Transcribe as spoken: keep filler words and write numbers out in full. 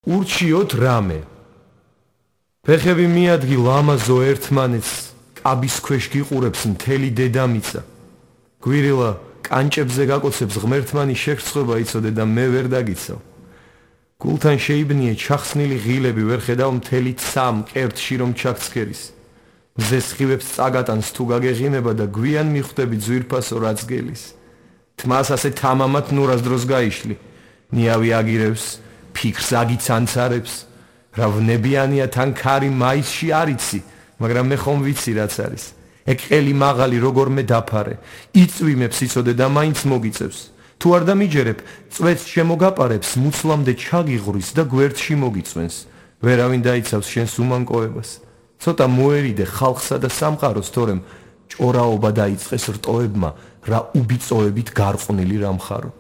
ურჩიოთ რამე. ფეხები მიადგილ ამაზო ერთმანეთს, კაბის ქვეშ გიყურებს მთელი დედამიწა. გვირილა კანჭებზე გაკოცებს ღმერთმანი შეხრცხვება იცოდე და მე ვერ დაგიცავ. გულთან შეიბნიე ჩახსნილი ღილები, ვერ ხედავ მთელი ცა მკერდში რომ ჩაქცქერის. მზეს ხივებს წაგატანს თუ გაგეღინება და გვიან მიხვდები ძვირფასო რაც გელის. თმას ასე თამამად ნურას დროს გაიშლი. ნიავი აგირებს, ფიქრს აგიცანცარებს. რა ვნებიანია თან ქარი მაისში არიცი, მაგრამ მე ხომ ვიცი რაც არის. ეგ ყელი მაღალი როგორმე დაფარე, იწვიმებს იცოდე და მაინც მოგიწევს. თუ არ დამიჯერებ, წვეთს შემოგაპარებს, მუცლამდე ჩაგიღრის და გვერდში მოგიწვენს. ვერავინ დაიცავს შენს უმანკოებას. ცოტა მოერიდე ხალხსა და სამყაროს, თორემ ჭორაობა დაიწყეს რტოებმა, რა უბიწოებით გარყვნილი რა მხარო.